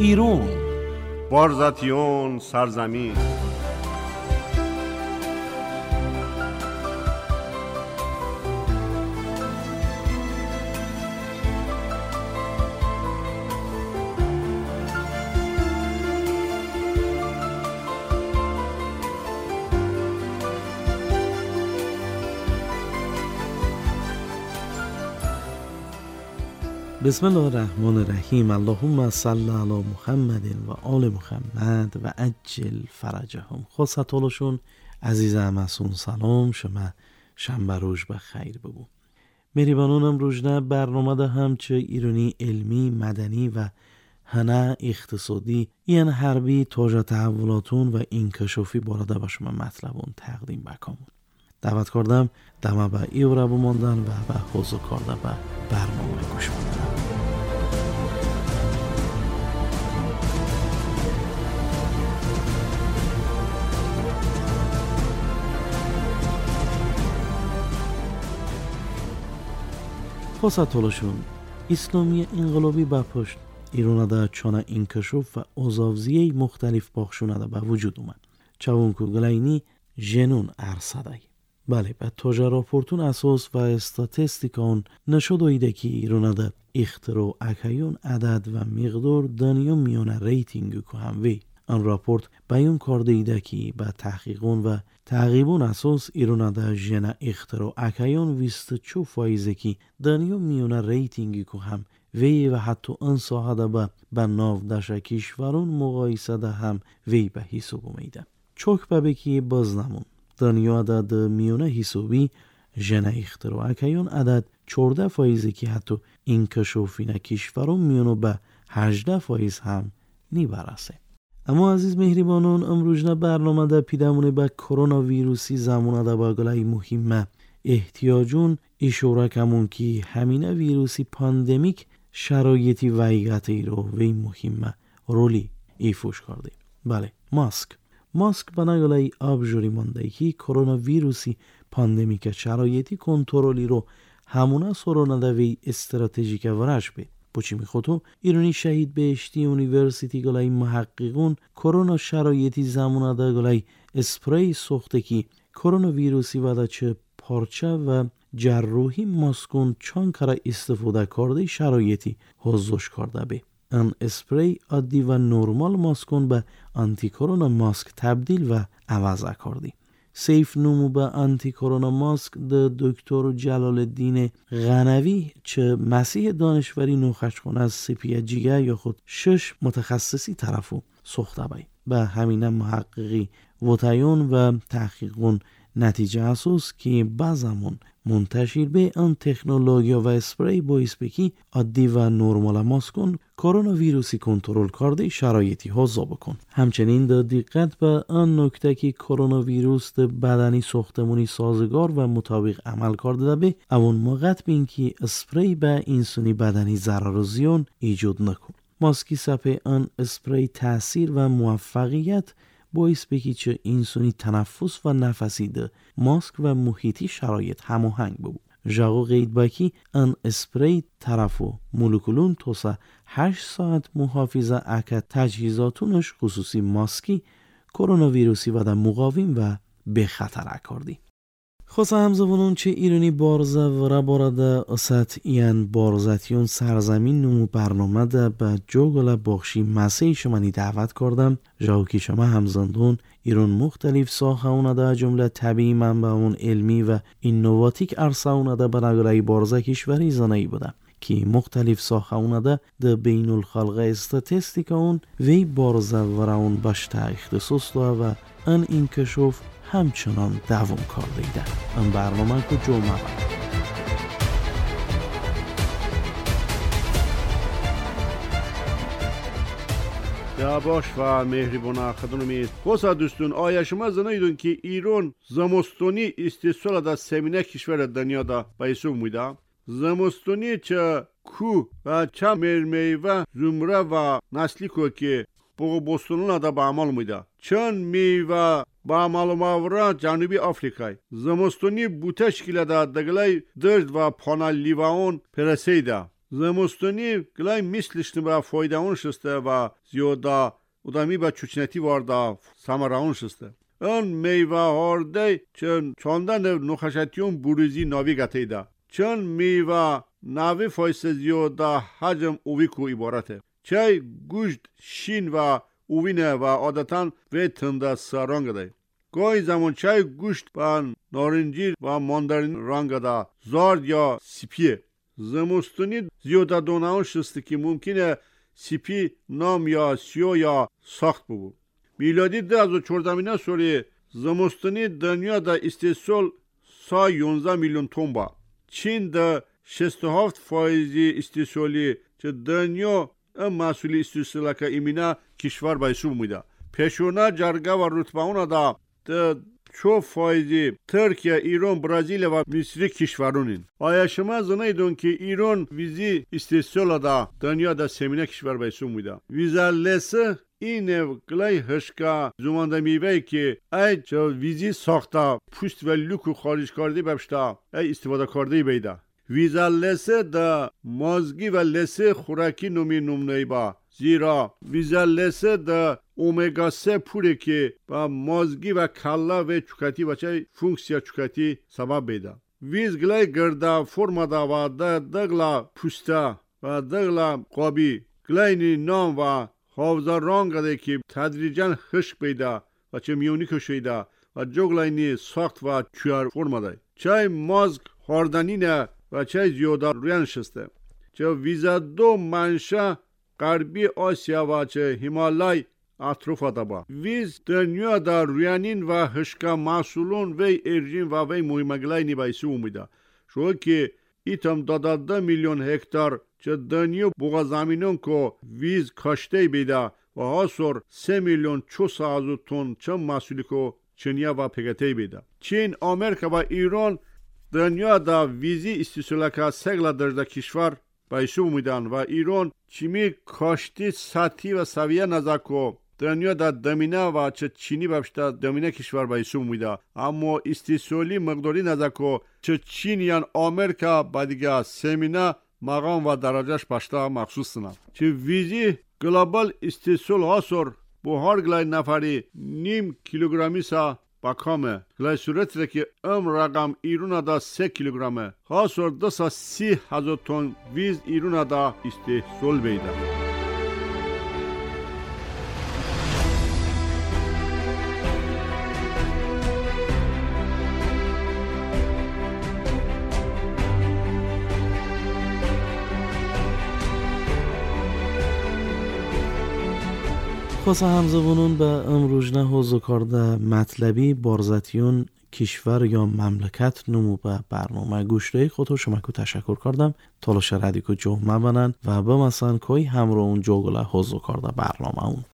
ایرون بارزاتیون سرزمین. بسم الله الرحمن الرحیم. اللهم صل علی محمد و آل محمد و عجل فرجهم. خواستالشون عزیز همسون سلام، شما شنبه روز بخیر بگو. مهربانونم امروز برنامه ده هم چه ایرانی علمی، مدنی و هنه اقتصادی این حربی تاجه تحولاتون و انکشافی بارده به شما مطلبون تقدیم بکامون. دعوت کردم دمه به ایوره بماندن و به حضور کرده به برنامه گوش بودن. خواستالشون اسلامی انقلابی به پشت ایران ده چانه انکشاف و ازاوزیه مختلف باخشونه ده به وجود اومد. چوانکو گلینی جنون ارصده. بله، به تاجه راپورتون اساس و استاتستیکان نشد ایده که ایران ده اختراع اکیون عدد و مقدار دنیا میانه ریتینگ که هم وی. آن راپورت بیان کرده ایده که به تحقیقون و تعقیبون اساس ایران ده جنه اختراع اکیون 24 فایزه که دنیا میانه ریتینگ که هم وی و حتی آن ساحه ده به ناو دشه کشورون مقایسه ده هم وی به حساب اومیده. چوک به که باز نمون. دنیا ده میانه حسابی جنه اختراع اکیون عدد 14 فایزه که حتی انکشافین کشورون میانه به 18 فایز هم نیبرسه. اما عزیز مهربانون امروز نه برنامه ده پیدمونه به کرونا ویروسی زمانه ده با گلای مهمه احتیاجون اشاره کمون که همینه ویروسی پاندمیک شرایطی ویگتی رو وی مهمه رولی ایفوش کرده. بله، ماسک بنا گلای آبجوری مانده که کرونا ویروسی پاندمیک شرایطی کنترلی رو همونه سرانه ده وی استراتژیک ورش بید. پوچی میخوتو ایرانی شهید بهشتی یونیورسیتی گلای محققون کرونا شرایطی زمانه ده گلای اسپری ساخته که کرونا ویروسی و ده چه پارچه و جراحی ماسکون چند کره استفاده کرده شرایطی حضوش کرده به. آن اسپری عادی و نرمال ماسکون به آنتی کرونا ماسک تبدیل و عوض کردی. سیف نمو به آنتی کرونا ماسک ده دکتر جلال الدین غنوی چه مسیح دانشوری نوخشخونه از سپیه جیگه یا خود 6 متخصصی طرفو ساخته بای. به همینه محققی وطیون و تحقیقون نتیجه اساس که بازمون منتشر به آن تکنولوژی و اسپری باعث بکی عادی و نرمال ماسکون کرونا ویروسی کنترل کرده شرایطی ها بکن. همچنین در دقت به آن نکته که کرونا ویروس در بدنی ساختمانی سازگار و مطابق عمل کرده به اون موقع بین که اسپری به انسانی بدنی ضرر و زیان ایجاد نکن. ماسکی سپه آن اسپری تاثیر و موفقیت باعث بکی چه انسانی تنفس و نفسی ده ماسک و محیطی شرایط هماهنگ ببو. ژاو قید بکی ان اسپری طرفو مولکولون توسه 8 ساعت محافظه اکه تجهیزاتونش خصوصی ماسکی کرونا ویروسی و ده مقاوم و به خطر اکاردی. خاصه همزبانون چه ایرانی بارزه و را بارده اصد این بارزتیون سرزمین نمو برنامه ده به جوگل باخشی مسیح شمانی دعوت کردم. جاو که شما همزندون ایران مختلف ساخه اونه ده جمله طبیعی منبع اون علمی و اینواتیک عرصه اونه ده به بارزه کشوری زنایی بوده که مختلف ساخه اونه ده ده بین الخلق استاتستیک اون وی بارزه و را اون بشته اختصاص ده و ان انکشاف همچنان دوام کرده ایده. این برنامه که جمعه بود. باش و مهربان خدونمی خوسا دوستون، آیا شما زنایدون که ایران زمستونی استثال دا سمینه کشور دنیا دا به حساب میده؟ زمستونی چه کو و چه میوه زمره و نسلی کو که بوستونون دا به عمل میده. چند میوه با معلوماورا جنوبی آفریقای زمستونی بوته شکل دا دگلای درد و پانا لیوان پرسیده. Зимистонӣ глай мислишни ба фойдаун шисте ва зиёда удами ба чучнати варда самараун шисте. Он мева ҳорде чун чондан нухашатиюн буризи нави гатейда. Чун мева нави фойсе зиёда ҳаҷм увику иборате. Чай гӯшт шин ва увине ва одатан ве тында сарангадай. Гоҳи замон чай гӯшт ба норинҷӣ ва мандарин рангада зард ё сипие. Зимистонӣ зиёда донаон шисте ки мумкине сипи нам ё сиё ё сахт бубу. Милоди 2014 соли зимистонӣ дунёда истеҳсол са 11 миллион тонн ба. Чин да 67% истеҳсоли че дунё маҳсули истеҳсолака имина кишвар ба ҳисоб меида. Пешона ҷарга ва рутбаона да 4% Туркия, Ирон, Бразилия ва Мисри кишварунин. Оя шумо зонаидон ки Ирон визи истеҳсола да дунё да семина кишвар ба ҳисоб меида. Виза лесы ин глай ҳишка зуманда мевае ки ай визи сохта пӯст ва люку хориҷ карда бапшта ай истифода карда бейда. Виза лесе да мозги ва лесе хӯракӣ номи нумнаиба. Зира виза лесе да омега 3 пуре ки ба мозги ва калла ва чукати ва чай функсия чукати сабаб бейда. Виз глай гирда формада ва дагла пӯста ва дагла қоби глайни ном ва ҳовза рангаде ки тадриҷан хишк бейда ва ча миёнӣ кушида ва ҷоглайни сохт ва чуяр формадай. Чай мозг ҳорданине ва чай зиёда рӯян шисте. Ча виза ду манша ғарби Осия ва ча Ҳималай атрофа даба. Виз дунё да рӯянин ва ҳишка маҳсулон вей эржин ва вей муҳимаглайни ба ҳисоб омида. Шо ки итам 22 миллион гектар ча дунё буғазаминон ко виз каштей беда ва ҳасор 3 миллион 400 ҳазор тонн ча маҳсули ко чиния ва пегатей беда. Чин, Америка ва Ирон дунё да визи истисолака сегла дарҷа кишвар ба ҳисоб омиданд ва Ирон чими кашти сатҳӣ ва савия назако дунё да дамина ва ча чини бапшта дамина кишвар ба ҳисоб омида. Аммо истисоли миқдорӣ назако ча Чин ян Америка ба дига семина мақом ва дараҷаш пашта махсус синад. Чи визи глобал истисол ҳасор бо ҳар глай нафари ним килограммиса ба каме. Глай суратре ки ам рақам Ирона да 3 килограмме. Ҳасор 230 ҳазор тонн виз Ирона да истеҳсол бейда. خاصه همزبانون به امروز حوزه کرده مطلبی بارزتیون کشور یا مملکت نمو به برنامه گوشته خود شما که تشکر کردم تالاش ردیکو جو مبنن و به مثلا کوی همراه اون جوگله حوزه کرده برنامه اون.